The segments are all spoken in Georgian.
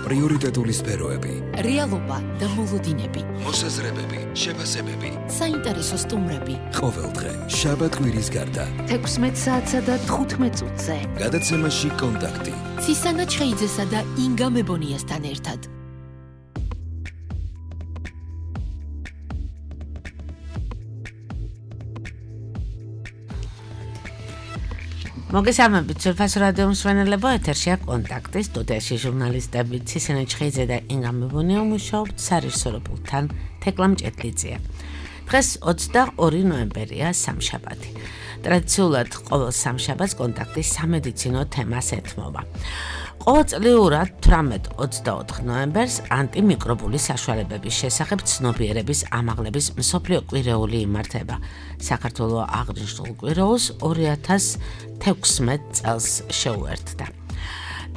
პრიორიტეტული სფეროები, რეალობა და მოლოდინები, მოსაზრებები, შეფასებები, საინტერესო სტუმრები. ყოველდღე შაბათ-კვირის გარდა 16 საათსა და 15 წუთზე. გადაცემაში კონტაქტი. ცისანა ჩხეიძესა და ინგა მებონიასთან ერთად. მოგესალმებით, სულფასო რადიო მსმენელებო, ეთერშია კონტაქტი, სტუდიაში ჟურნალისტები ცისანა ჩხეიძე და ინგა მებონია მუშაობთ სარისოროპულთან თეკლა მჭედლიძეა. დღეს 22 ნოემბერია, სამშაბათი. ტრადიციულად ყოველ სამშაბათს კონტაქტი სამედიცინო თემას ეთმობა. ყოველწლიურად 18-24 ნოემბერს ანტიმიკრობული საშუალებების შესახებ ცნობიერების ამაღლების მსოფლიო კვირეული იმართება. საქართველოს აღნიშნულ კვირეულს 2016 წელს შეუერთდა.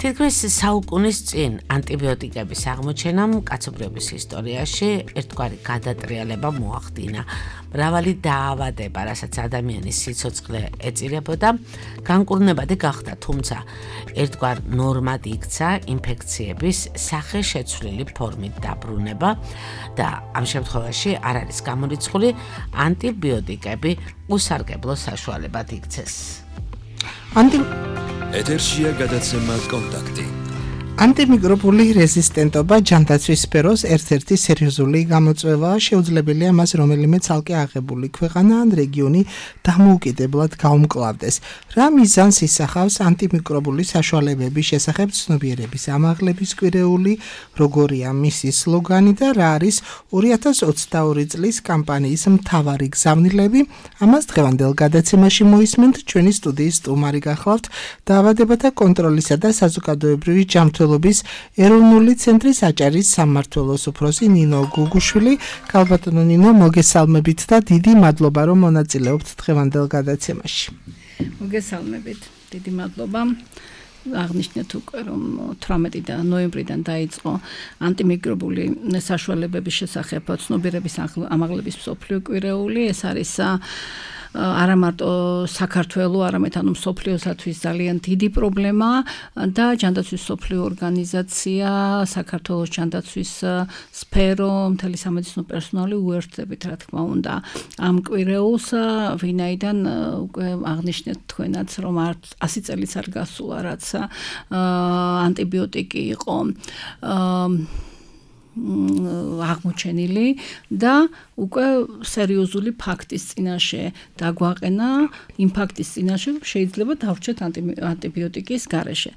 თითქმის საუკუნის წინ ანტიბიოტიკების აღმოჩენამ კაცობრიობის ისტორიაში ერთგვარი გადატრიალება მოახდინა. მრავალი დაავადება, რასაც ადამიანის სიცოცხლე ეწირებოდა, განკურნებადი გახდა, თუმცა ერთგვარ ნორმად იქცა ინფექციების სახეშეცვლილი ფორმით დაბრუნება და ამ შემთხვევაში არ არის გამორიცხული ანტიბიოტიკები უსარგებლო საშუალებად იქცეს. ეთერშია გადაცემა კონტაქტი. ანტიმიკრობული რეზისტენტობა ჯანდაცვის სფეროს ერთ-ერთი სერიოზული გამოწვევაა. შეუძლებელია მას რომელიმე ცალკე აღებული ქვეყანა ან რეგიონი დამოუკიდებლად გაუმკლავდეს. რა მიზანს ისახავს ანტიმიკრობული საშუალებების შესახებ ცნობიერების ამაღლების კვირეული, როგორია მისი სლოგანი და რა არის 2022 წლის კამპანიის მთავარი გზავნილები? ამას დღევანდელ გადაცემაში მოისმენთ. ჩვენი სტუდიის სტუმარი გახლავთ დაავადებათა კონტროლისა და საზოგადოებრივი ჯანმრთელობის ეროვნული ცენტრის აჭარის სამმართველოს უფროსი ნინო გუგუშვილი. ქალბატონო ნინო, მოგესალმებით და დიდი მადლობა, რომ მონაწილეობთ დღევანდელ გადაცემაში. მოგესალმებით, დიდი მადლობა. აღნიშნეთ უკვე, რომ 18 ნოემბრიდან დაიწყო ანტიმიკრობული საშუალებების შესახებ ცნობიერების ამაღლების მსოფლიო კვირეული. ეს არის არა მარტო საქართველოს, არამედ მსოფლიოსათვის ძალიან დიდი პრობლემა და ჯანდაცვის მსოფლიო ორგანიზაცია, საქართველოს ჯანდაცვის სფერო, მთელი სამედიცინო პერსონალი უერთდებით, რა თქმა უნდა, ამ კვირეულს, ვინაიდან უკვე აღნიშნეთ თქვენაც, რომ 100 წელიც არ გასულა, რაც ანტიბიოტიკი იყო აღმოჩენილი და უკვე სერიოზული ფაქტის წინაშე დაგვაყენა, იმ ფაქტის წინაშე შეიძლება დავრჩეთ ანტიბიოტიკის გარეშე.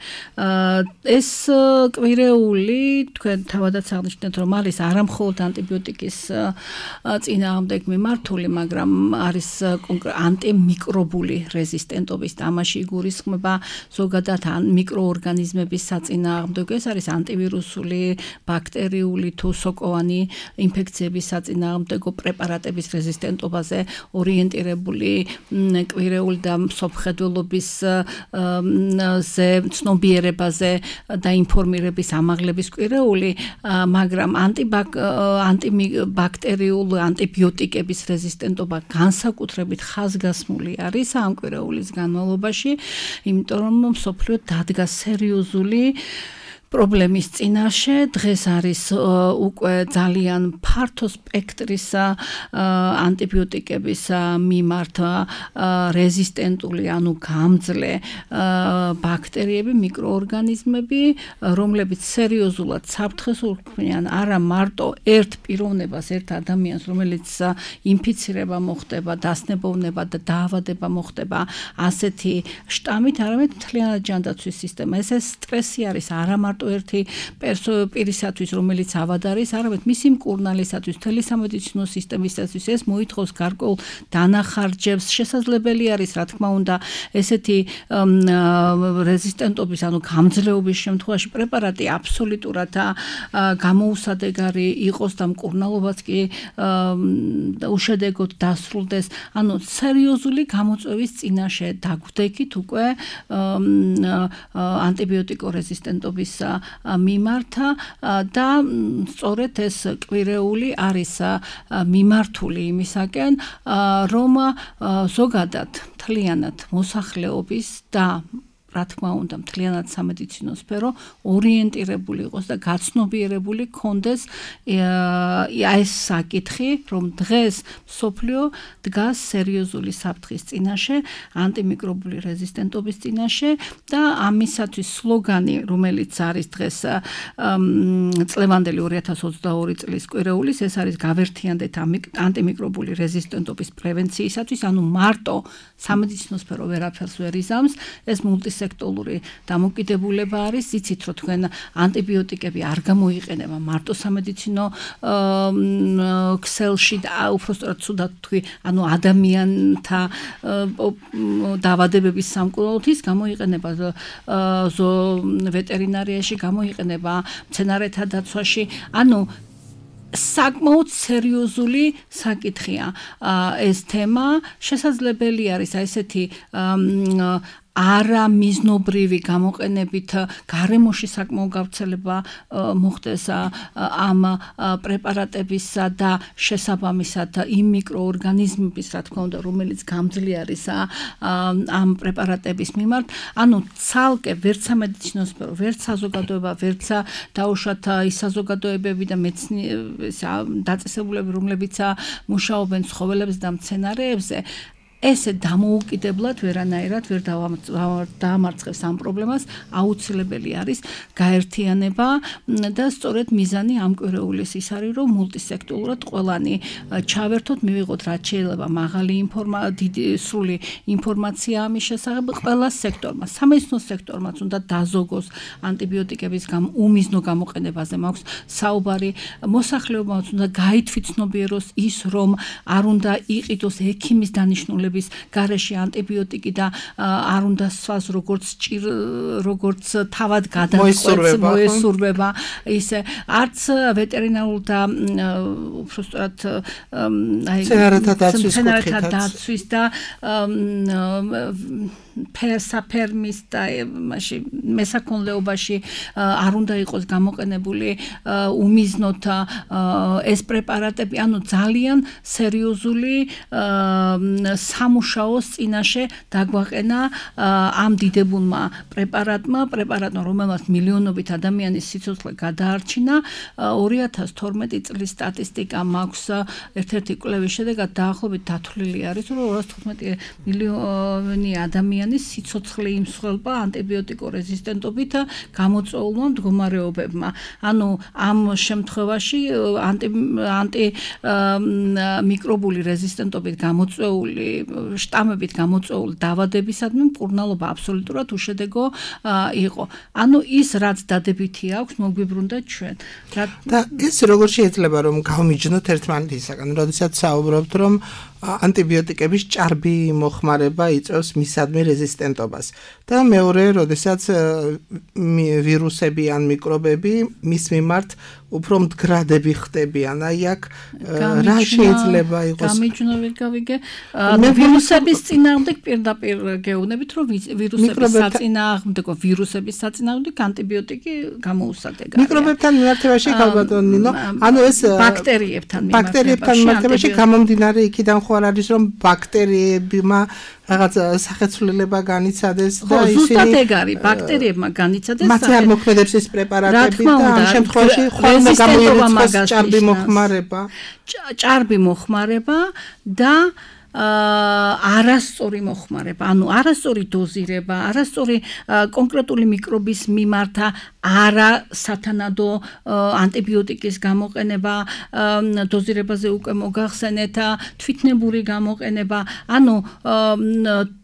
ეს კვირეული, თქვენ თავადაც აღნიშნეთ, რომ არის არამხოლოდ ანტიბიოტიკის წინააღმდეგ მიმართული, მაგრამ არის ანტიმიკრობული რეზისტენტობის თამაში იგულისხმება ზოგადად მიკროორგანიზმების საწინააღმდეგო. ეს არის ანტივირუსული, ბაქტერიული თუ სოკოვანი ინფექციების საწინააღმდეგო პრეპარატების რეზისტენტობაზე ორიენტირებული კვირეული და მსოფლმხედველობის ცნობიერებაზე და ინფორმირების ამაღლების კვირეული, მაგრამ ანტიბაქტერიული ანტიბიოტიკების რეზისტენტობა განსაკუთრებით ხაზგასმული არის ამ კვირეულის განმავლობაში, იმიტომ რომ მსოფლიო დადგა სერიოზული პრობლემის წინაშე. დღეს არის უკვე ძალიან ფართო სპექტრის ანტიბიოტიკების მიმართ რეზისტენტული, ანუ გამძლე ბაქტერიები, მიკროორგანიზმები, რომლებიც სერიოზულად საფრთხეს უქმნიან არა მარტო ერთ პიროვნებას, ერთ ადამიანს, რომელიც ინფიცირება მოხდება, დასნებოვნება და დაავადება მოხდება ასეთი შტამით, არამედ მთლიანად ჯანდაცვის სისტემა. ეს სტრესი არის არა მარტო ერთი პირისათვის, რომელიც ავად არის, არამედ მისი მკურნალისათვის, მთელი სამედიცინო სისტემისათვის ეს მოითხოვს გარკვეულ დანახარჯებს. შესაძლებელი არის, რა თქმა უნდა, ესეთი რეზისტენტობის, ანუ გამძლეობის შემთხვევაში პრეპარატი აბსოლუტურად გამოუსადეგარი იყოს და მკურნალობაც კი უშედეგოდ დასრულდეს. ანუ სერიოზული გამოწვევის წინაშე დაგვდექით უკვე ანტიბიოტიკო რეზისტენტობის მიმართ და სწორედ ეს კვირეული არის მიმართული იმისაკენ, რომ ზოგადად მთლიანად მოსახლეობის და რა თქმა უნდა მთლიანად სამედიცინო სფერო ორიენტირებული იყოს და გაცნობიერებული ქონდეს ეს საკითხი, რომ დღეს მსოფლიო დგას სერიოზული საფრთხის წინაშე, ანტიმიკრობული რეზისტენტობის წინაშე და ამისათვის სლოგანი, რომელიც არის დღეს წლევანდელი 2022 წლის კვირეულის, ეს არის გავერთიანდეთ ანტიმიკრობული რეზისტენტობის პრევენციისათვის, ანუ მარტო სამედიცინო სფერო ვერაფერს ვერ იზამს, ეს მულტისექტორული დამოკიდებულება არის, იცით რომ თქვენ ანტიბიოტიკები არ გამოიყენება მარტო სამედიცინო ქსელში და უბრალოდ ცუდად თქვი, ანუ ადამიანთა დაავადებების სამკურნალოდ ის გამოიყენება ვეტერინარიაში, გამოიყენება მცენარეთა დაცვაში, ანუ საკმაოდ სერიოზული საკითხია ეს თემა, შესაძლებელი არის ესეთი არა მიზნობრივი გამოყენებით გარემოში საკმაო გავრცელება მოხდეს ამ პრეპარატებისა და შესაბამისად იმ მიკროორგანიზმების, რა თქმა უნდა, რომელიც გამძლე არის ამ პრეპარატების მიმართ, ანუ ცალკე ვერც სამედიცინო სფერო, ვერც საზოგადოება, ვერც დაუშვათ ის საზოგადოებები და დაწესებულები, რომლებიც მუშაობენ ცხოველებზე და მცენარეებზე, ესე დამოუკიდებლად ვერანაირად ვერ დაამარცხებს ამ პრობლემას, აუცილებელი არის გაერთიანება და სწორედ მიზანი ამ კვირეულის ის არის, რომ მულტისექტორულად ყველანი ჩავერთოთ, მივიღოთ რაც შეიძლება მაღალი სრული ინფორმაცია ამის შესახებ ყველა სექტორმა, სამედიცინო სექტორმაც უნდა დაზოგოს ანტიბიოტიკების უმიზნო გამოყენებაზე მაქვს საუბარი, მოსახლეობაც უნდა გაითვითცნობიეროს ის, რომ არ უნდა იყიდოს ექიმის დანიშნულების გარეშე ანტიბიოტიკი და არ უნდა სვას როგორც თავად გადაწყვეტს მოესურვება ისე არც ვეტერინარულ და უბრალოდ მცენარეთა დაცვის და საფერმის და მესაქონლეობაში არ უნდა იყოს გამოყენებული უმიზნოდ ეს პრეპარატები, ანუ ძალიან სერიოზული სამუშაოს წინაშე დაგვაყენა ამ დიდებულმა პრეპარატმა, რომელმაც მილიონობით ადამიანის სიცოცხლე გადაარჩინა. 2012 წლის სტატისტიკა მაქვს ერთ-ერთი კვლევის შედეგად დაახლოებით დათვლილი არის, რომ 215 მილიონი ადამიანის სიცოცხლე იმსხვრელება ანტიბიოტიკო რეზისტენტობით გამოწვეულმა მდგომარეობებმა. ანუ ამ შემთხვევაში ანტიმიკრობული რეზისტენტობით გამოწვეული შტამებით გამოწვეული დაავადებისადმი მკურნალობა აბსოლუტურად უშედეგო იყო. ანუ ის რაც დადებითი აქვს, მოგვიბრუნდა ჩვენ. და ეს როგორ შეიძლება რომ გავმიჯნოთ ერთმანეთისაგან, როდესაც საუბრობთ რომ ანტიბიოტიკების ჭარბი მოხმარება იწვევს მისადმი რეზისტენტობას და მეორე, როდესაც ვირუსები ან მიკრობები მის მიმართ უფრო მდგრადები ხდებიან. აი აქ რა შეიძლება იყოს? გამიჯნული გავიგე. ვირუსების წინააღმდეგ პირდაპირ გეუბნებით, რომ ვირუსების საწინააღმდეგ ანტიბიოტიკი გამოუსადეგია. მიკრობებთან მიმართებაში ქალბატონინო, ანუ ეს ბაქტერიებთან მიმართებაში გამომდინარე იქიდან ხო არ არის რომ ბაქტერიებმა რაღაც სახეცვლილება განიცადეს და ისინი ზუსტად ეგ არის, ბაქტერიებმა განიცადეს მათ არ მოქმედებს ეს პრეპარატები და ამ შემთხვევაში ხოლმე გამოიწვევს ჭარბი მოხმარება და არასწორი მოხმარება, ანუ არასწორი დოზირება, არასწორი კონკრეტული მიკრობის მიმართ არა სათანადო ანტიბიოტიკის გამოყენება, დოზირებაზე უკვე მოგახსენეთ, თვითნებური გამოყენება, ანუ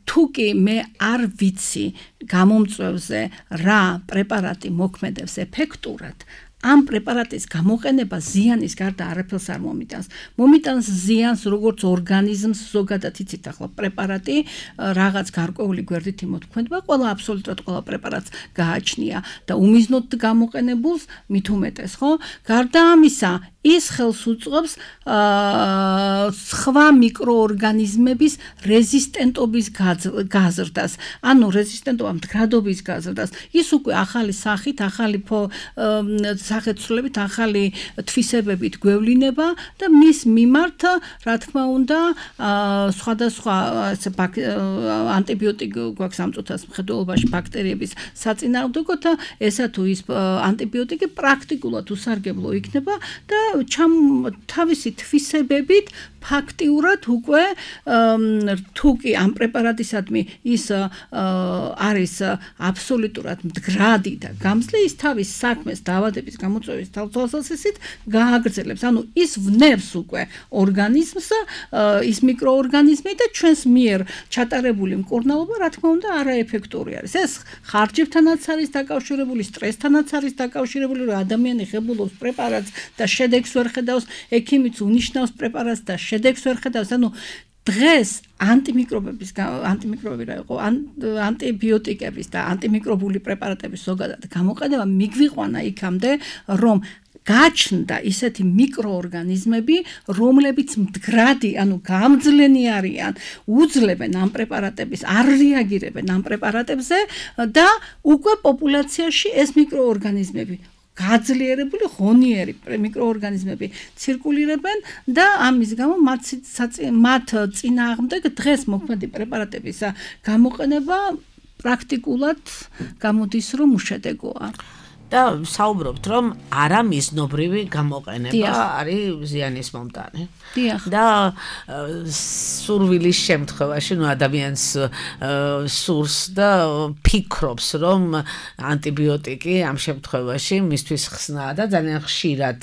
თუ კი მე არ ვიცი გამომწვევზე რა პრეპარატი მოქმედებს ეფექტურად, ამ პრეპარატის გამოყენება ზიანის გარდა არაფერს არ მომიტანს. მომიტანს ზიანს როგორც ორგანიზმს ზოგადად, იცით ახლა პრეპარატი რაღაც გარკვეული გვერდით იმოქმედება, აბსოლუტურად ყველა პრეპარატს გააჩნია და უმიზნოდ გამოყენებულს მით უმეტეს, ხო? გარდა ამისა, ის ხელს უწყობს სხვა მიკროორგანიზმების რეზისტენტობის გაზრდას, ანუ რეზისტენტობა მდგრადობის გაზრდას. ის უკვე ახალი სახით, ახალი სახეცვლებით, ახალი თვისებებით გვევლინება და მის მიმართ, რა თქმა უნდა, სხვადასხვა ანტიბიოტიკი გვაქვს ამ წუთას მხედველობაში ბაქტერიების საწინააღმდეგოდ და ესა თუ ის ანტიბიოტიკი პრაქტიკულად უსარგებლო იქნება და თავისი თვისებებით ფაქტიურად უკვე თუ კი ამ პრეპარატისადმი ის არის აბსოლუტურად მდგრადი და გამძლე, ის თავის საქმეს დაავადების გამოწვევის თვალსაზრისით გააგრძელებს. ანუ ის ვნებს უკვე ორგანიზმს, ის მიკროორგანიზმი და ჩვენს მიერ ჩატარებული მკურნალობა, რა თქმა უნდა, არაეფექტური არის. ეს ხარჯებთანაც არის დაკავშირებული, სტრესთანაც არის დაკავშირებული, რომ ადამიანი ღებულობს პრეპარატს და შედეგს ვერ ხედავს, ექიმიც უნიშნავს პრეპარატს და შედეგს ვერ ხედავს. ანუ დღეს ანტიბიოტიკების და ანტიმიკრობული პრეპარატების ზოგადად გამოყენება მიგვიყვანა იქამდე, რომ გაჩნდა ისეთი მიკროორგანიზმები, რომლებიც მდგრადი, ანუ გამძლენი არიან, უძლებენ ამ პრეპარატების, არ რეაგირებენ ამ პრეპარატებზე და უკვე პოპულაციაში ეს მიკროორგანიზმები გაძლიერებული ღონიერი მიკროორგანიზმები ცირკულირებენ და ამის გამო მათ წინააღმდეგ დღეს მოქმედი პრეპარატების გამოყენება პრაქტიკულად გამოდის, რომ უშედეგოა. და საუბრობთ, რომ არამიზნობრივი გამოყენება არის ზიანის მომტანი. და სურვილის შემთხვევაში, ადამიანს სურს და ფიქრობს, რომ ანტიბიოტიკი ამ შემთხვევაში მისთვის ხსნაა და ძალიან ხშირად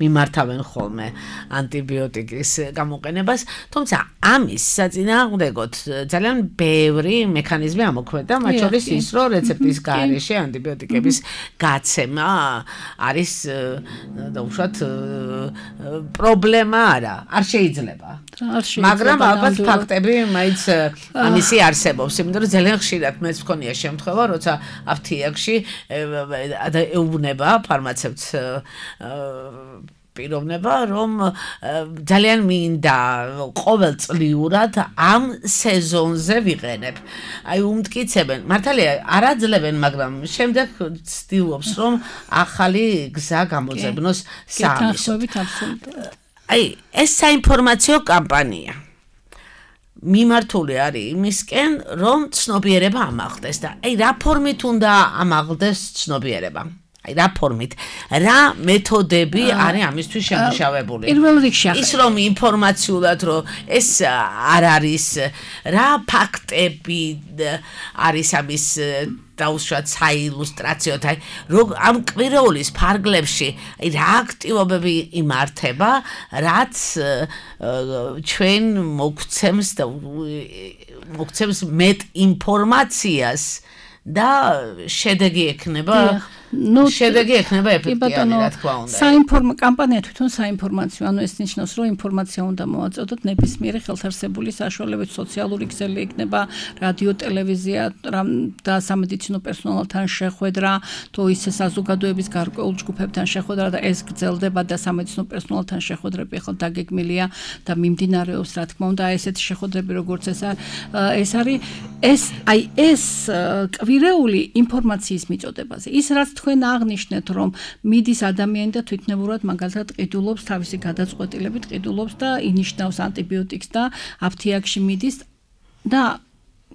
მიმართავენ ხოლმე ანტიბიოტიკის გამოყენებას, თუმცა ამის საწინააღმდეგოდ ძალიან ბევრი მექანიზმი ამოქმედა, მათ შორის ის, რომ რეცეპტის გარეშე ანტიბიოტიკების გაცემა არის დაუშვათ პრობლემა არ შეიძლება. მაგრამ ალბათ ფაქტები მაინც ამისი არსებობს, იმიტომ რომ ძალიან ხშირად მეც მქონია შემთხვევა, როცა აფთიაქში ეუბნება ფარმაცევტს პიროვნება, რომ ძალიან მინდა ყოველწლიურად ამ სეზონზე ვიყენებ. აი უმტკიცებენ, მართალია არ აძლევენ, მაგრამ შემდეგ ცდილობს, რომ ახალი გზა გამოძებნოს საამისოდ. აი ეს საინფორმაციო კამპანია მიმართული არის იმისკენ, რომ ცნობიერება ამაღლდეს და აი რა ფორმით უნდა ამაღლდეს ცნობიერება? აი რა ფორმით, რა მეთოდები არის ამისთვის შემუშავებული? პირველ რიგში ის რომ ინფორმაციულად რომ ეს არ არის, რა ფაქტები არის ამის დაუშვათ საილუსტრაციოდ, აი ამ კვირეულის ფარგლებში რა აქტივობები იმართება, რაც ჩვენ მოგცემს მეტ ინფორმაციას და შედეგი ექნება შედეგი ექნება ეფექტიანი, რა თქმა უნდა. კამპანია თვითონ საინფორმაციო, ანუ ეს ნიშნავს, რომ ინფორმაცია უნდა მოვაწოდოთ ნებისმიერი ხელთარსებული საშუალებით, სოციალური ქსელი იქნება, რადიო, ტელევიზია და სამედიცინო პერსონალთან შეხვედრა, თუ ისე საზოგადოების გარკვეულ ჯგუფებთან შეხვედრა და ეს გრძელდება და სამედიცინო პერსონალთან შეხვედრები ახლა დაგეგმილია და მიმდინარეობს, რა თქმა უნდა, ესეთი შეხვედრები, როგორც ეს არის, ეს კვირეული ინფორმაციის მიწოდებაზე. ის რაც თქვენ აღნიშნეთ, რომ მიდის ადამიანი და თვითნებურად მაგალითად ყიდულობს თავისი გადაწყვეტილებით, ყიდულობს და ინიშნავს ანტიბიოტიკს და აფთიაქში მიდის და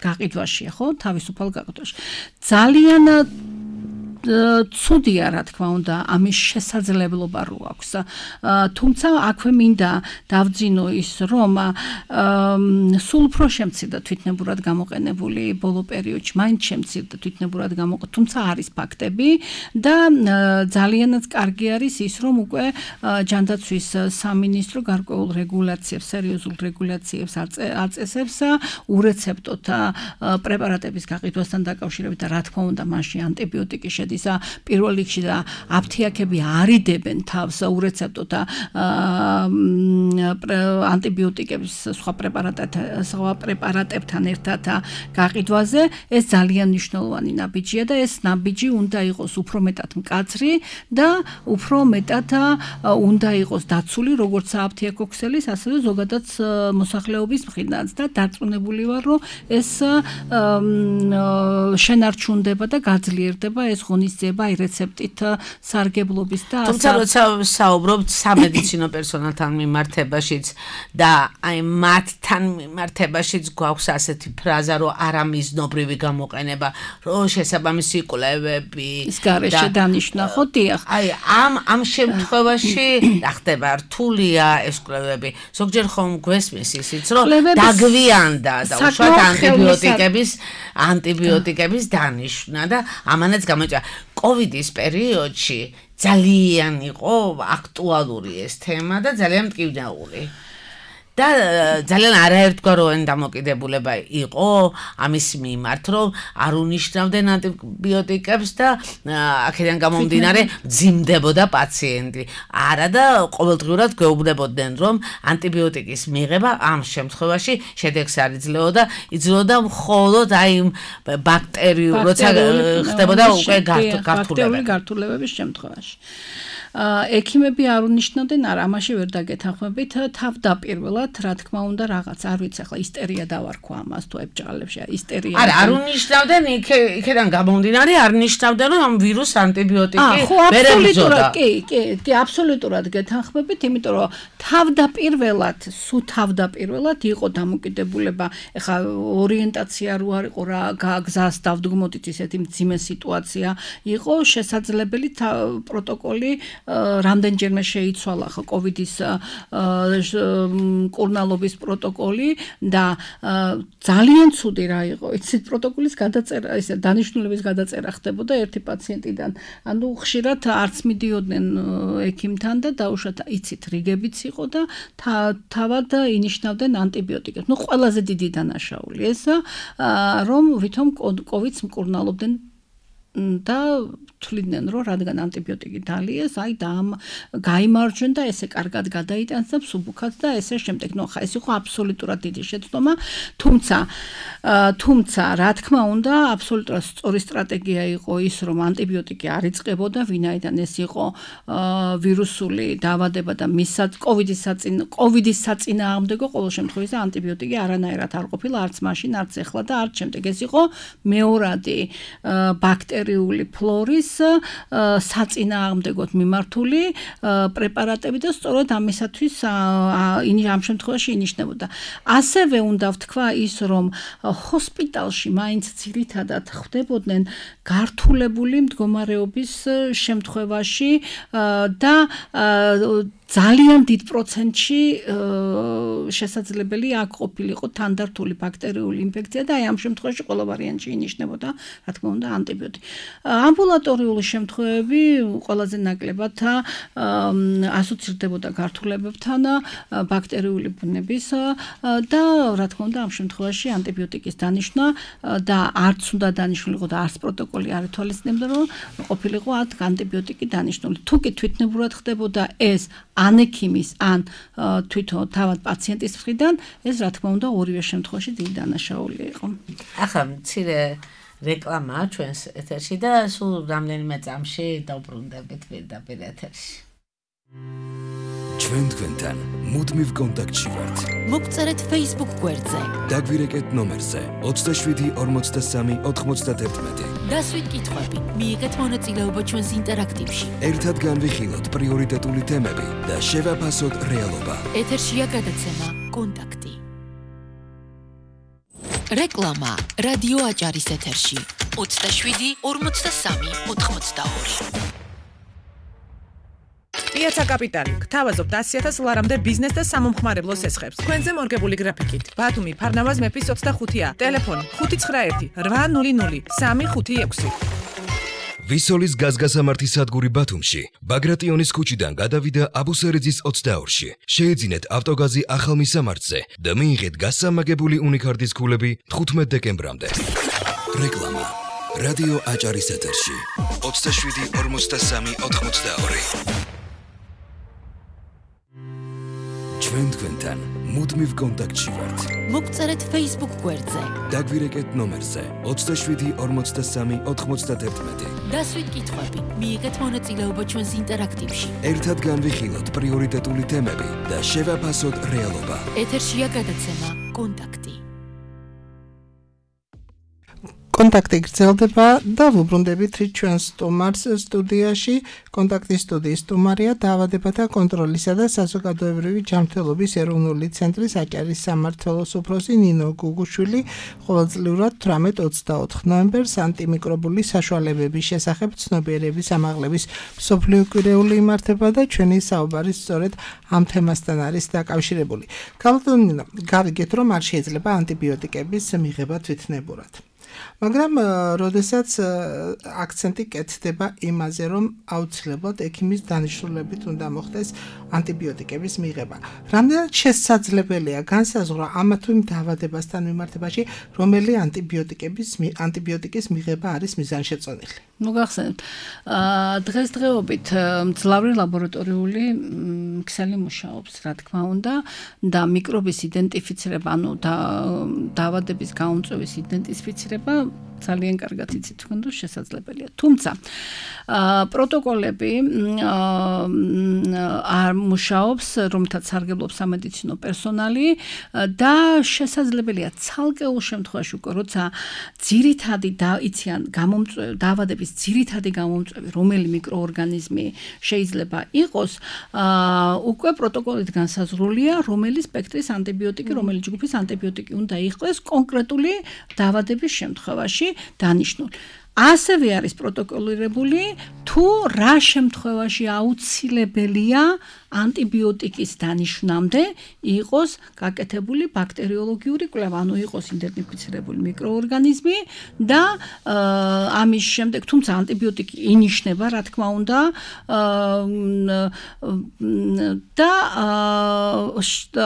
გაყიდვაშია, ხო? თავისუფალ გაყიდვაში. ძალიან ცუდია, რა თქმა უნდა, ამის შესაძლებლობა რო აქვს. თუმცა აქვე მინდა დავძინო ის, რომ სულ უფრო შემცირდა თვითნებურად გამოყენებული ბოლო პერიოდში, მაინც შემცირდა თვითნებურად გამოყენებული, თუმცა არის ფაქტები და ძალიანაც კარგი არის ის, რომ უკვე ჯანდაცვის სამინისტრო გარკვეულ რეგულაციებს, სერიოზულ რეგულაციებს აწესებს ურეცეპტოთ პრეპარატების გაყიდვასთან დაკავშირებით და რა თქმა უნდა, მასში ანტიბიოტიკის შედის პირველ რიგში და აფთიაქები არიდებენ თავს ურეცეპტოთ ანტიბიოტიკების სხვა პრეპარატებთან ერთად გაყიდვაზე ეს ძალიან მნიშვნელოვანი ნაბიჯია და ეს ნაბიჯი უნდა იყოს უფრო მეტად მკაცრი და უფრო მეტად უნდა იყოს დაცული როგორც აფთიაქო ქსელის ასევე ზოგადად მოსახლეობის მხრიდან და დარწმუნებული ვარ რომ ეს შენარჩუნდება და გაძლიერდება ეს ღონისძიება აი რეცეპტით სარგებლობის და თუმცა როცა საუბრობთ სამედიცინო პერსონალთან მიმართებაშიც და აი მათთან მიმართებაშიც გვაქვს ასეთი ფრაზა რომ არამიზნობრივი გამოყენება რომ შესაბამისი კვლევები ის გარეშე დანიშნა ხო დიახ აი ამ შემთხვევაში რა ხდება რთულია ეს კვლევები ზოგჯერ ხომ გვესმის ისიც რომ დაგვიანდა და უშუალოდ ანტიბიოტიკების დანიშვნა და ამანაც გამოიწვია კოვიდის პერიოდში ძალიან იყო აქტუალური ეს თემა და ძალიან მტკივნეული და ძალიან არაერთგვაროვანი დამოკიდებულება იყო ამის მიმართ რომ არ უნიშნავდნენ ანტიბიოტიკებს და აქედან გამომდინარე მძიმდებოდა პაციენტი არა და ყოველდღიურად გვეუბნებოდნენ რომ ანტიბიოტიკის მიღება ამ შემთხვევაში შედეგს არ იძლეოდა იძლეოდა მხოლოდ აი ბაქტერიულ როცა ხდებოდა უკვე გართულებების შემთხვევაში ექიმები არ უნიშნავდნენ არა ამაში ვერ დაგეთანხმებით თავდაპირველად რა თქმა უნდა რაღაც არ ვიცი ახლა ისტერია დავარქვა ამას თუ ებჭყალებში ისტერია არ უნიშნავდნენ იქიდან გამომდინარე არ ნიშნავდნენ რომ ამ ვირუს ანტიბიოტიკი ვერ ებრძოდა კი აბსოლუტურად გეთანხმებით იმიტომ რომ თავდაპირველად იყო დამოკიდებულება ეხლა ორიენტაცია რო არ იყო რა გზას დავდგმოდით ისეთი მძიმე სიტუაცია იყო შესაძლებელი პროტოკოლი რამდენჯერმე შეიცვალა ხო კოვიდის მკურნალობის პროტოკოლი და ძალიან ცუდი რა იყო იცით პროტოკოლის გადაწერა ისე დანიშნულების გადაწერა ხდებოდა ერთი პაციენტიდან ანუ ხშირად არც მიდიოდნენ ექიმთან და დაუშვათ იცით რიგებიც იყო და თავად ინიშნავდნენ ანტიბიოტიკებს ნუ ყველაზე დიდი დანაშაული ეს რომ ვითომ კოვიდს მკურნალობდნენ და თვლიდნენ რომ რადგან ანტიბიოტიკი დალიეს აი და გაიმარჯვენ და ესე კარგად გადაიტანს და მსუბუქად და ესე შემდეგ ნუ ხა ეს იყო აბსოლუტურად დიდი შეცდომა თუმცა რა თქმა უნდა აბსოლუტურად სწორი სტრატეგია იყო ის რომ ანტიბიოტიკი არ იწყებოდა ვინაიდან ეს იყო ვირუსული დაავადება და კოვიდის საწინააღმდეგო ყოველ შემთხვევაში ანტიბიოტიკი არანაირად არ ყოფილა არც მაშინ არც ეხლა და არც შემდეგ ეს იყო მეორადი ბაქტერიული ფლორის საწინააღმდეგოდ მიმართული პრეპარატები და სწორედ ამისათვის ამ შემთხვევაში ინიშნებოდა. ასევე უნდა ვთქვა ის, რომ ჰოსპიტალში მაინც ძირითადად ხდებოდნენ გართულებული მდგომარეობის შემთხვევაში და ძალიან დიდ პროცენტში შესაძლებელი აქ ყოფილიყო თანდართული ბაქტერიული ინფექცია და აი ამ შემთხვევაში ყველა ვარიანტში ინიშნებოდა, რა თქმა უნდა, ანტიბიოტიკი. ამბულატორიული შემთხვევები ყველაზე ნაკლებად ასოცირდებოდა გართულებებთან ბაქტერიული ბუნების და რა თქმა უნდა, ამ შემთხვევაში ანტიბიოტიკის დანიშვნა და არც უნდა დანიშნულიყო და არც პროტოკოლი არ ითვალისწინებდა, რომ ყოფილიყო აქ ანტიბიოტიკი დანიშნული. თუ კი თვითნებურად ხდებოდა ეს ან ექიმის, ან თვითონ თავად პაციენტის მხრიდან, ეს რა თქმა უნდა ორივე შემთხვევაში დიდი დანაშაული იყო. ახლა მცირე რეკლამაა ჩვენს ეთერში და სულ რამდენიმე წამში დავბრუნდებით პირდაპირ ეთერში. ჩვენ თქვენთან მუდმივ კონტაქტში ვართ. მოგწერეთ Facebook გვერდზე. დაგვირეკეთ ნომერზე 27 43 91. დასვით კითხვები, მიიღეთ მონაწილეობა ჩვენს ინტერაქტივში. ერთად განვიხილოთ პრიორიტეტული თემები და შევაფასოთ რეალობა. ეთერშია გადაცემა კონტაქტი. რეკლამა რადიო აჭარის ეთერში 27 43 92. პიაცა კაპიტალი გთავაზობთ 100,000 ლარამდე ბიზნეს და სამომხმარებლო სესხებს. თქვენზე მორგებული გრაფიკით. ბათუმი ფარნავაზ მეფის 25-ია. ტელეფონი 591 800 356. ვისოლის გაზგასამართი სადგური ბათუმში, ბაგრატიონის ქუჩიდან გადავიდა აბუსერიძის 22-ში. შეეძინეთ ავტოგაზი ახალ მისამართზე და მიიღეთ გასამაგებული უნიკარდის ქულები 15 დეკემბრამდე. რეკლამა რადიო აჭარის ეთერში 27-43-82 ჩვენ თქვენთან მუდმივ კონტაქტში ვართ. მოგწერეთ Facebook გვერდზე. დაგვირეკეთ ნომერზე 27-43-91. დასვით კითხვები, მიიღეთ მონაწილეობა ჩვენს ინტერაქტივში. ერთად განვიხილოთ პრიორიტეტული თემები და შევაფასოთ რეალობა. ეთერშია გადაცემა კონტაქტი. კონტაქტი გრძელდება და ვუბრუნდებით ჩვენს სტუმარს სტუდიაში. კონტაქტის სტუდიის სტუმარია დაავადებათა კონტროლისა და საზოგადოებრივი ჯანმრთელობის ეროვნული ცენტრის აჭარის სამმართველოს უფროსი ნინო გუგუშვილი ყოველწლიურად 18-24 ნოემბერს ანტიმიკრობული საშუალებების შესახებ ცნობიერების ამაღლების მსოფლიო კვირეული იმართება და ჩვენი საუბარი სწორედ ამ თემასთან არის დაკავშირებული. გამოდონინო, გავიგეთ, რომ არ შეიძლება ანტიბიოტიკების მიღება თვითნებურად. მაგრამ როდესაც აქცენტი კეთდება იმაზე, რომ აუცილებლად ექიმის დანიშნულებით უნდა მოხდეს ანტიბიოტიკების მიღება. რამდენად შესაძლებელია განსაზღვრა ამა თუ იმ დაავადებასთან მიმართებაში, რომელი ანტიბიოტიკის მიღება არის მიზანშეწონილი? ნუ გახსენებთ, დღესდღეობით მძლავრი ლაბორატორიული ქსელი მუშაობს, რა თქმა უნდა, და მიკრობის იდენტიფიცირება, ანუ დაავადების გაუმწვევის იდენტიფიცირება ძალიან კარგად იცით თქვენ, რომ შესაძლებელია. თუმცა პროტოკოლები არ მუშაობს, რომთაც სარგებლობს სამედიცინო პერსონალი და შესაძლებელია ცალკეულ შემთხვევაში უკვე როცა ძირითადი იციან დაავადების ძირითადი გამომწვევი, რომელი მიკროორგანიზმი შეიძლება იყოს, უკვე პროტოკოლით განსაზღვრულია, რომელი სპექტრის ანტიბიოტიკი, რომელი ჯგუფის ანტიბიოტიკი უნდა იყოს კონკრეტული დაავადების შემთხვევაში დანიშნული. ასევე არის პროტოკოლირებული თუ რა შემთხვევაში აუცილებელია ანტიბიოტიკის დანიშნამდე იყოს გაკეთებული ბაქტერიოლოგიური კვლევა, ანუ იყოს იდენტიფიცირებული მიკროორგანიზმი და ამის შემდეგ, თუმცა ანტიბიოტიკი ინიშნება, რა თქმა უნდა, და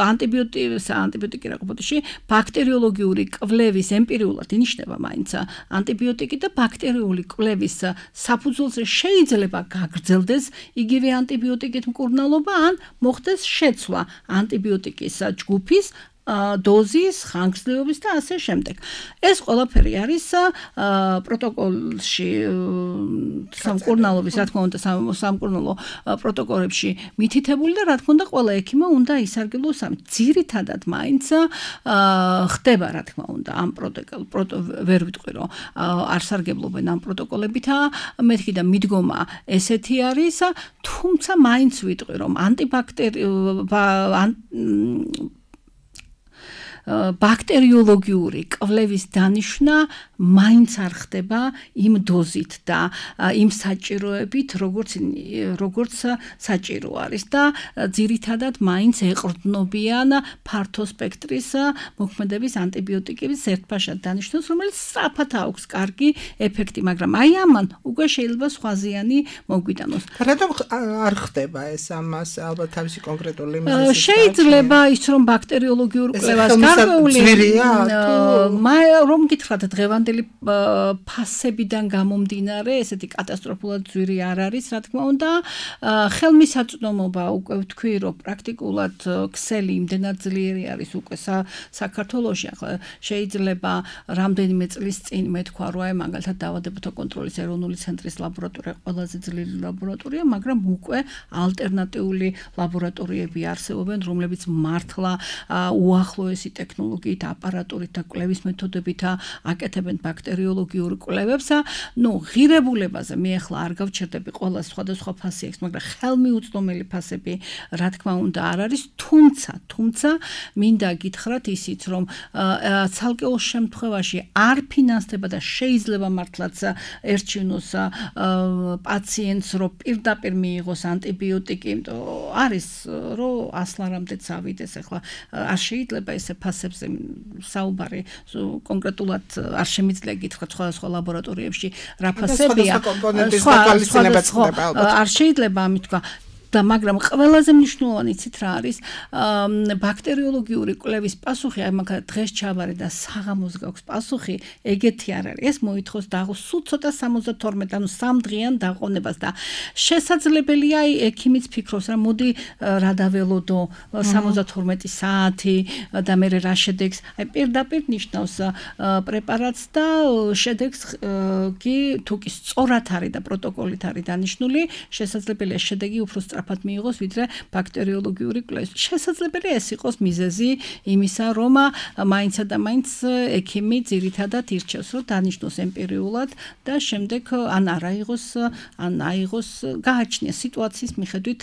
ანტიბიოტიკი რა ყოფილში ბაქტერიოლოგიური კვლევის ემპირიულად ინიშნება მაინც ანტიბიოტიკი და ბაქტერიული კვლევის საფუძველზე შეიძლება გაგრძელდეს იგივე ანტიბიოტიკით მკურნალობა ან მოხდეს შეცვლა ანტიბიოტიკის ჯგუფის დოზის, ხანგრძლივობის და ასე შემდეგ. ეს ყველაფერი არის პროტოკოლში სამკურნალობის, რა თქმა უნდა, სამკურნალო პროტოკოლებში მითითებული და რა თქმა უნდა, ყველა ექიმმა უნდა ისარგებლოს ამ. ძირითადად მაინც ხდება, რა თქმა უნდა, ამ ვერ ვიტყვი, რომ არ სარგებლობენ ამ პროტოკოლებითა, მეთქი და მიდგომა ესეთი არის, თუმცა მაინც ვიტყვი, რომ ბაქტერიოლოგიური კვლევის დანიშვნა მაინც არ ხდება იმ დოზით და იმ საჭიროებით, როგორც საჭირო არის და ძირითადად მაინც ეყრდნობიან ფართო სპექტრის მოქმედების ანტიბიოტიკების ერთფაშად დანიშნულს, რომელიც სწრაფად აქვს კარგი ეფექტი, მაგრამ აი ამან უკვე შეიძლება სხვაზიანი მოგვიტანოს. რატომ არ ხდება ეს ამას ალბათ თავისი კონკრეტული მიზეზით? შეიძლება ის რომ ბაქტერიოლოგიურ კვლევას რომ გითხრათ დღევანდელი ფასებიდან გამომდინარე, ესეთი კატასტროფულად ძვირი არ არის, რა თქმა უნდა, ხელმისაწვდომობა უკვე ვთქვი, რომ პრაქტიკულად ქსელი იმდენად ძლიერი არის უკვე საქართველოში, ახლა შეიძლება რამდენიმე წლის წინ მეთქვა, რომ აი მაგალითად დაავადებათა კონტროლის ეროვნული ცენტრის ლაბორატორია ყველაზე ძლიერი ლაბორატორია, მაგრამ უკვე ალტერნატიული ლაბორატორიები არსებობენ, რომლებიც მართლა უახლოესი ტექნოლოგიით, აპარატურით და კვლევის მეთოდებით აკეთებენ ბაქტერიოლოგიურ კვლევებს. ღირებულებაზე მე ახლა არ გავჩერდები, ყველა სხვადასხვა ფასი აქვს, მაგრამ ხელმიუწვდომელი ფასები, რა თქმა უნდა, არ არის, თუმცა მინდა გითხრათ ისიც, რომ ცალკეულ შემთხვევაში არ ფინანსდება და შეიძლება მართლაც ერჩივნოს პაციენტს, რომ პირდაპირ მიიღოს ანტიბიოტიკი, არის, რომ ასლარამდე წავიდეს, ახლა არ შეიძლება ესე ფასებზე საუბარი კონკრეტულად არ შემიძლია გითხრათ სხვა ლაბორატორიებში რა ფასებია, არ შეიძლება ამით თქვა. და მაგრამ ყველაზე მნიშვნელოვანი იცით რა არის ბაქტერიოლოგიური კვლევის პასუხი აი მაგ დღეს ჩავარე და საღამოს გაქვს პასუხი ეგეთი არ არის ეს მოითხოვს სულ ცოტა 72 ანუ 3 დღიან დაყონებას და შესაძლებელია აი ექიმიც ფიქრობს რა მოდი რა დაველოდო 72 საათი და მე რა შედეგს აი პირდაპირ ნიშნავს პრეპარატს და შედეგს კი თუ კი სწორად არის და პროტოკოლით არის დანიშნული შესაძლებელია შედეგი უფრო სწრაფად მიიღოს ვიდრე ბაქტერიოლოგიური კვლევის შესაძლებელია ეს იყოს მიზეზი იმისა რომ მაინცა და მაინც ექიმი ძირითადად ირჩევს რომ დანიშნოს ემპირიულად და შემდეგ ან არ აიღოს გააჩნია სიტუაციის მიხედვით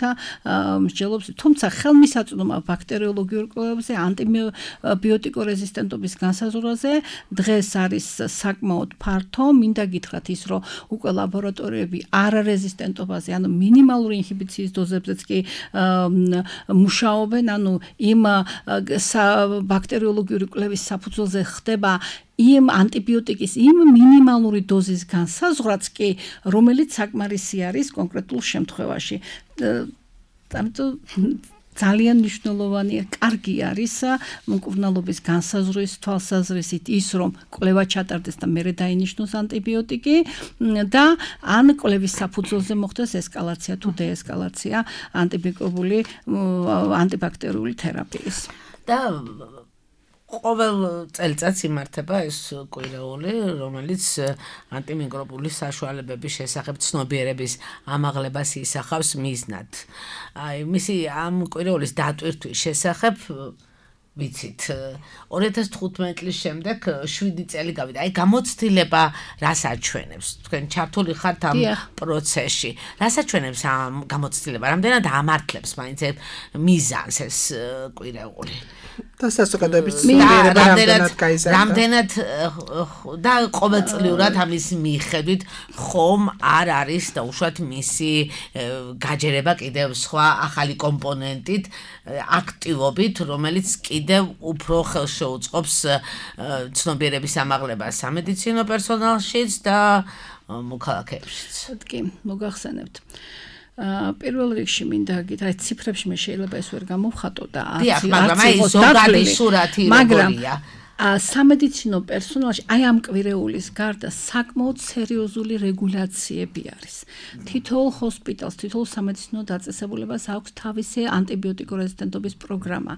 მსჯელობს თუმცა ხელმისაწვდომა ბაქტერიოლოგიურ კვლევებზე ანტიბიოტიკო რეზისტენტობის განსაზღვრაზე დღეს არის საკმაოდ ფართო მინდა გითხრათ ის რომ უკვე ლაბორატორიები არარეზისტენტობაზე ანუ მინიმალური ინჰიბიციის დოზებზეც კი მუშაობენ ანუ იმ ბაქტერიოლოგიური კვლევის საფუძველზე ხდება იმ ანტიბიოტიკის იმ მინიმალური დოზის განსაზღვრაც კი რომელიც საკმარისი არის კონკრეტულ შემთხვევაში ძალიან მნიშვნელოვანია კარგი არის მკურნალობის განსაზღვრის თვალსაზრისით ის რომ კვლევა ჩატარდეს და მერე დაინიშნოს ანტიბიოტიკი და ან კვლევის საფუძველზე მოხდეს ესკალაცია თუ დეესკალაცია ანტიბაქტერიული თერაპიის და ყოველ წელიწადს იმართება ეს კვირაული, რომელიც ანტიმიკრობული საშუალებების შესახებ ცნობიერების ამაღლებას ისახავს მიზნად. აი, მისი ამ კვირაულის დატვირთვის შესახებ ვიცით 2015 წლის შემდეგ 7 წელი გავიდა. აი გამოცდილება რას აჩვენებს? თქვენ ჩართული ხართ ამ პროცესში. რას აჩვენებს ამ გამოცდილება? რამდენად ამართლებს მაინც მიზანს ეს კვირაული? და საზოგადოების ცნობიერება რამდენად გაიზარდა? რამდენად და ყოველწლიურად ამის მიხედვით ხომ არ არის და უშუალოდ მისი გაჯერება კიდევ სხვა ახალი კომპონენტით აქტივობით, რომელიც კიდევ უფრო ხელშეუწყობს ცნობიერების ამაღლებას სამედიცინო პერსონალშიც და მოქალაქეებშიც. კი, მოგახსენებთ. პირველ რიგში მინდა გითხრათ, ციფრებში მე შეიძლება ეს ვერ გამოვხატო და მაგრამ სამედიცინო პერსონალში აი ამ კვირეულის გარდა საკმაოდ სერიოზული რეგულაციები არის. თითოეულ ჰოსპიტალს, თითოეულ სამედიცინო დაწესებულებას აქვს თავისი ანტიბიოტიკო რეზისტენტობის პროგრამა.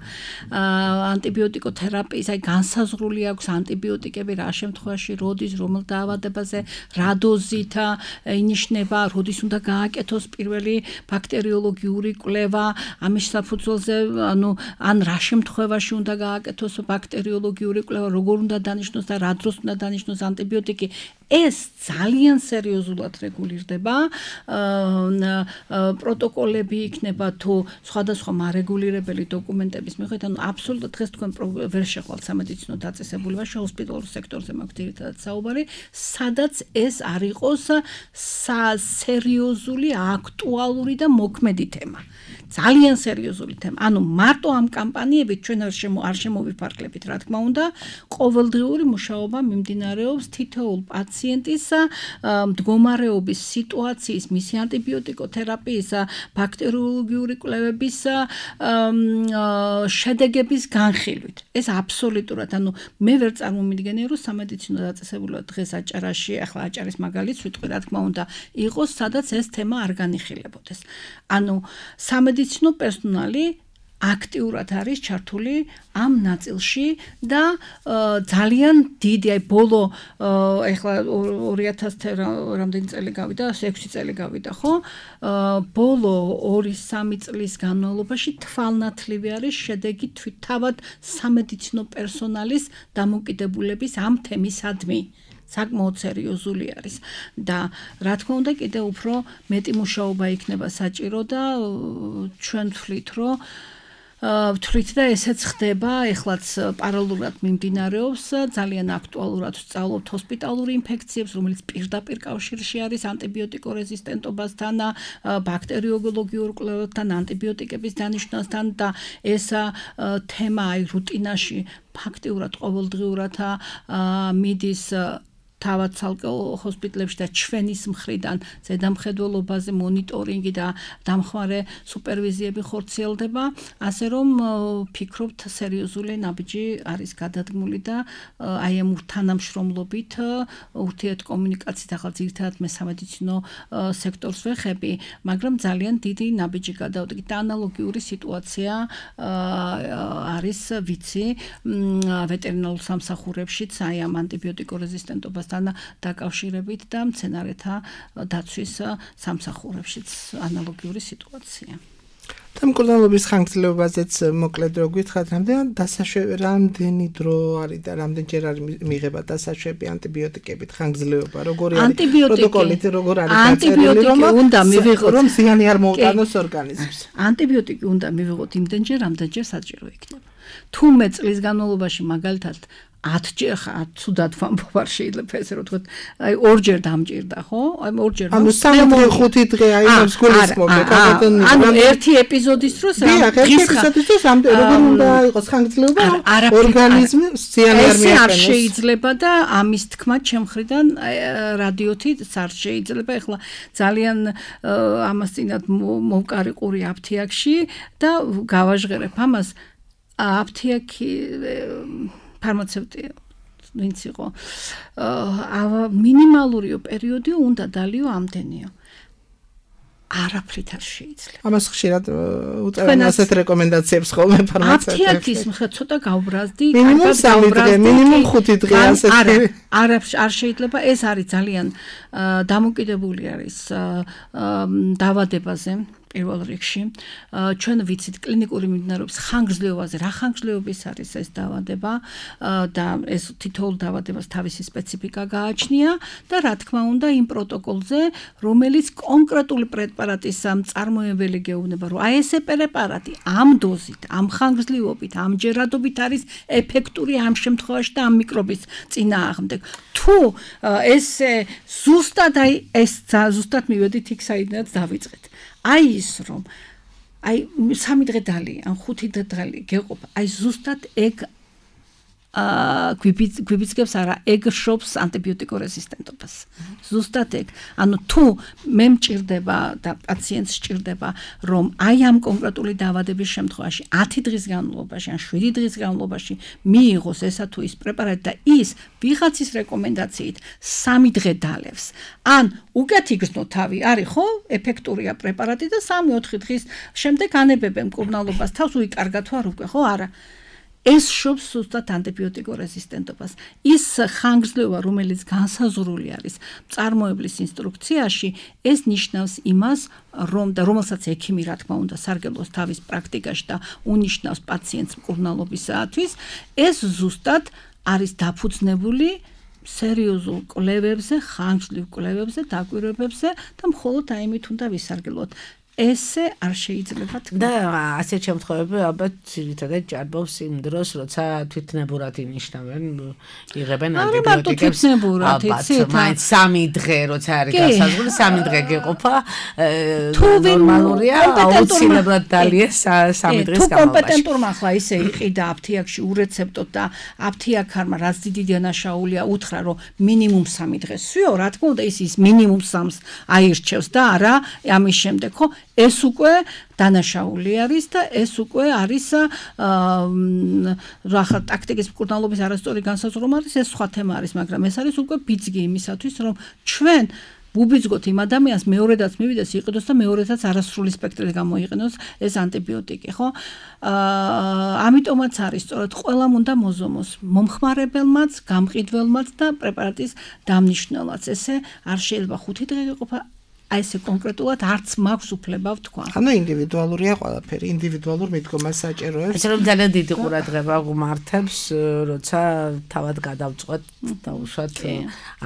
ანტიბიოტიკოთერაპიის აი განსაზღვრული აქვს ანტიბიოტიკები რა შემთხვევაში, როდის, რომელ დაავადებაზე, რა დოზით ინიშნება, როდის უნდა გააკეთოს პირველი ბაქტერიოლოგიური კვლევა, ამის საფუძველზე, ან რა შემთხვევაში უნდა გააკეთოს ბაქტერიოლოგიური კვლევა, როგორ უნდა დანიშნოს და რა დროს უნდა დანიშნოს ანტიბიოტიკი. ეს ძალიან სერიოზულად რეგულირდება. პროტოკოლები იქნება თუ სხვადასხვა მარეგულირებელი დოკუმენტების მიხედვით, ანუ აბსოლუტურად დღეს თქვენ ვერ შეხვალთ სამედიცინო დაწესებულებაში, ჰოსპიტალურ სექტორზე მაქვს ძირითადად საუბარი, სადაც ეს არ იყოს სერიოზული, აქტუალური და მოქმედი თემა. ძალიან სერიოზული თემა. ანუ მარტო ამ კამპანიებით ჩვენ არ შემოვიფარგლებით, რა თქმა უნდა, ყოველდღიური მუშაობა მიმდინარეობს თითოეულ პაციენტის მდგომარეობის სიტუაციის, მისი ანტიბიოტიკოთერაპიის, ბაქტერიოლოგიური კვლევების შედეგების განხილვით. ეს აბსოლუტურად, ანუ მე ვერ წარმომიდგენია, რომ სამედიცინო დაწესებულება დღეს აჭარაში, ახლა აჭარის მაგალითს ვიტყვი, რა თქმა უნდა, იყოს, სადაც ეს თემა არ განიხილებოდეს. ანუ სამედიცინო პერსონალი აქტიურად არის ჩართული ამ ნაწილში და ძალიან დიდი, აი ბოლო ეხლა 2000 რამდენი წელი გავიდა, 6 წელი გავიდა, ხო? ბოლო 2-3 წლის განმავლობაში თვალნათლივი არის შედეგი თავად სამედიცინო პერსონალის დამოკიდებულების ამ თემისადმი. საკმაოდ სერიოზული არის და რა თქმა უნდა კიდევ უფრო მეტი მუშაობა იქნება საჭირო და ჩვენ ვთვლით და ესეც ხდება, ეხლაც პარალელურად მიმდინარეობს, ძალიან აქტუალურად ვსწავლობთ ჰოსპიტალურ ინფექციებს, რომელიც პირდაპირ კავშირში არის ანტიბიოტიკო რეზისტენტობასთან, ბაქტერიოლოგიურ კვლევებთან, ანტიბიოტიკების დანიშნვასთან და ეს თემა აი რუტინაში ფაქტიურად ყოველდღიურად მიდის თავად ცალკეულ ჰოსპიტალებში და ჩვენის მხრიდან ზედამხედველობაზე მონიტორინგი და დამხმარე სუპერვიზიები ხორციელდება, ასე რომ ფიქრობთ სერიოზული ნაბიჯი არის გადადგმული და აი ამ თანამშრომლობით ურთიერთკომუნიკაციით ახალ ძირითადად მე სამედიცინო სექტორს ვეხები, მაგრამ ძალიან დიდი ნაბიჯი გადავდგით და ანალოგიური სიტუაცია არის ვიცი ვეტერინარულ სამსახურებშიც აი ამ ანტიბიოტიკურ რეზისტენტობასთან დაკავშირებით და მცენარეთა დაცვის სამსახურებშიც ანალოგიური სიტუაცია. და მკურნალობის ხანგრძლივობაზეც მოკლედ რო გითხრათ, რამდენი დრო არის და რამდენჯერ არის მიღება დასაშვები ანტიბიოტიკებით ხანგრძლივობა, როგორი არის პროტოკოლით, როგორ არის ანტიბიოტიკი უნდა მივიღოთ, რომ ზიანი არ მოუტანოს ორგანიზმს. ანტიბიოტიკი უნდა მივიღოთ იმდენჯერ, რამდენჯერ საჭირო იქნება. თუ მე წლის განმავლობაში მაგალითად 10ჯერ ცუდად ვამბობ არ შეიძლება ესე რომ თქვათ აი ორჯერ დამჭირდა ხო? აი ორჯერ ანუ 3-5 დღე აი ამს გულისხმობ ანუ ერთი ეპიზოდის დროს როგორ უნდა იყოს ხანგრძლივობა ორგანიზმი ზიანი არ მიაყენოს. არ შეიძლება და ამის თქმა ჩემხრიდან რადიოთი არ შეიძლება. ეხლა ძალიან ამას წინათ მოვკარიყური აფთიაქში და გავაჟღერებ ამას აფთიაქი ფარმაცევტი ვინც იყო მინიმალურიო პერიოდი უნდა დალიო ამდენიო არაფრით არ შეიძლება. ამას ხშირად უწევენ ასეთ რეკომენდაციებს ხოლმე ფარმაცევტები. აფთიაქის მხრივ ცოტა გავბრაზდი, მინიმუმ 3 დღე, მინიმუმ 5 დღე ასეთი. არ შეიძლება, ეს არის ძალიან დამოკიდებული არის დაავადებაზე. პირველ რიგში ჩვენ ვიცით კლინიკური მიმდინარეობის ხანგრძლივობაზე, რა ხანგრძლივობის არის ეს დაავადება და ეს თითოეულ დაავადებას თავისი სპეციფიკა გააჩნია და რა თქმა უნდა იმ პროტოკოლზე, რომელიც კონკრეტული პრეპარატის მწარმოებელი გეუბნება, რომ აი ესე პრეპარატი ამ დოზით, ამ ხანგრძლივობით, ამ ჯერადობით არის ეფექტური ამ შემთხვევაში და ამ მიკრობის წინააღმდეგ. თუ ეს ზუსტად აი ეს ზუსტად მივედით იქ საიდანაც დავიწყეთ. აი ის რომ აი 3 დღე დალი ან 5 დღე დალი გეყოფა აი ზუსტად ეგ გვიბიძგებს არა ეგ შობს ანტიბიოტიკურ რეზისტენტობას ზუსტად ეგ ანუ თუ მე მჭირდება და პაციენტს სჭირდება რომ აი ამ კონკრეტული დაავადების შემთხვევაში 10 დღის განმავლობაში ან 7 დღის განმავლობაში მიიღოს ესა თუ ის პრეპარატი და ის ვიღაცის რეკომენდაციით 3 დღე დალევს ან უკეთ იგრძნო თავი არის ხო ეფექტურია პრეპარატი და 3-4 დღის შემდეგ ანებებენ მკურნალობას თავს უიკარგა თუ არ უკვე ხო არა ეს შობს ზუსტად ანტიბიოტიკურ რეზისტენტობას. ის ხანგრძლივობა, რომელიც განსაზღვრული არის მწარმოებლის ინსტრუქციაში, ეს ნიშნავს იმას, რომ და რომელსაც ექიმი რა თქმა უნდა სარგებლობს თავის პრაქტიკაში და უნიშნავს პაციენტს მკურნალობისათვის, ეს ზუსტად არის დაფუძნებული სერიოზულ კვლევებზე, ხანგრძლივ კვლევებზე, დაკვირვებებზე და მხოლოდ აიმით უნდა ვისარგებლოთ. ესე არ შეიძლება თქვა. და ასეთ შემთხვევებში ალბათ ძირითადად ჭარბობს იმ დროს, როცა თვითნებურად ინიშნავენ, იღებენ ანტიბიოტიკებს. ალბათ, მაინც 3 დღე როცა არის გასაზღვრული, 3 დღე გეყოფა, ნორმალურია, აუცილებლად დალიეს 3 დღის განმავლობაში. თუ კომპეტენტურმა ახლა ისე იყიდა აფთიაქში ურეცეპტოდ და აფთიაქარმა რაც დიდი დანაშაულია უთხრა, რომ მინიმუმ 3 დღე სვიო, რა თქმა უნდა ის მინიმუმ 3-ს აირჩევს და არა ამის შემდეგ, ხო? ეს უკვე დანაშაული არის და ეს უკვე არის რა ტაქტიკის მკურნალობის არასწორი განსაზღვრება არის ეს სხვა თემა არის მაგრამ ეს არის უკვე ბიძგი იმისათვის რომ ჩვენ ვუბიძგოთ იმ ადამიანს მეორედაც მივიდეს იყიდოს და მეორედაც არასრული სპექტრით გამოიყენოს ეს ანტიბიოტიკი ხო ამიტომაც არის სწორედ ყველამ უნდა მოზომოს მომხმარებელმაც გამყიდველმაც და პრეპარატის დამნიშნელმაც ესე არ შეიძლება 5 დღე იყოფა აი ესე კონკრეტულად არც მაქვს უფლება ვთქვა. ანუ ინდივიდუალურია ყველაფერი, ინდივიდუალურ მიდგომას საჭიროებს. ეს რომ ძალიან დიდი ყურადღება გვმართებს, როცა თავად გადავწყვეტ დაუშვათ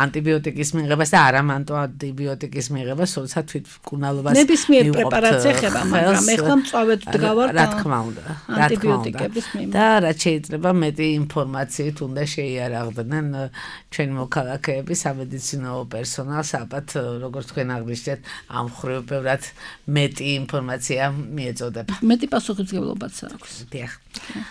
ანტიბიოტიკის მიღებას და არა მარტო ანტიბიოტიკის მიღებას, როცა თვითმკურნალობას ნებისმიერ პრეპარატს ეხება, მაგრამ ეხლა მწვავედ ვდგავართ რა თქმა უნდა, ანტიბიოტიკების მიმართ. და რაც შეიძლება მეტი ინფორმაციით უნდა შეიარაღდნენ ჩვენი მოქალაქეები, სამედიცინო პერსონალს, ალბათ როგორც თქვენ აღნიშნეთ ზოგადად ამ ხრივ ბევრად მეტი ინფორმაცია მიეწოდება. მეტი პასუხისმგებლობაც აქვს. დიახ.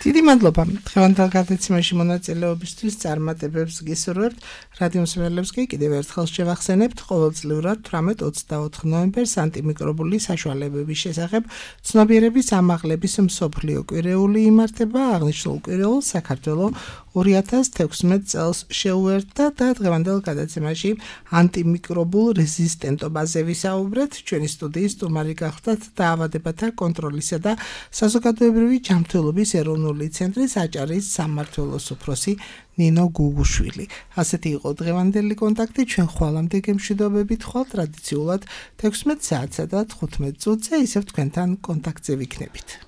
დიდი მადლობა დღევანდელ გადაცემაში მონაწილეობისთვის. წარმატებებს გისურვებთ. რადიო მსმენელებს კი კიდევ ერთხელ შევახსენებთ, ყოველწლიურად 18-24 ნოემბერს ანტიმიკრობული საშუალებების შესახებ ცნობიერების ამაღლების მსოფლიო კვირეული იმართება. აღნიშნულ კვირეულს საქართველოს 2016 წელს შეუერთდა და დღევანდელ გადაცემაში ანტიმიკრობულ რეზისტენტობაზე ვისაუბრეთ. ჩვენი სტუდიის სტუმარი გახლდათ დაავადებათა კონტროლისა და საზოგადოებრივი ჯანმრთელობის ეროვნული ცენტრის აჭარის სამმართველოს უფროსი ნინო გუგუშვილი. ასეთი იყო დღევანდელი კონტაქტი. ჩვენ ხვალამდე გემშვიდობებით ხვალ ტრადიციულად 16 საათსა და 15 წუთზე ისევ თქვენთან კონტაქტზე ვიქნებით.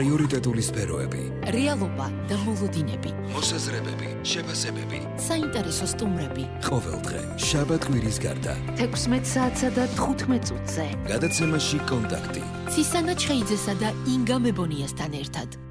პრიორიტეტული სფეროები, რეალობა და მოლოდინები, მოსაზრებები, შეფასებები, საინტერესო სტუმრები. ყოველდღე შაბათ-კვირის გარდა 16 საათსა და 15 წუთზე. გადაცემაში კონტაქტი. ცისანა ჩხეიძესა და ინგა მებონიასთან ერთად.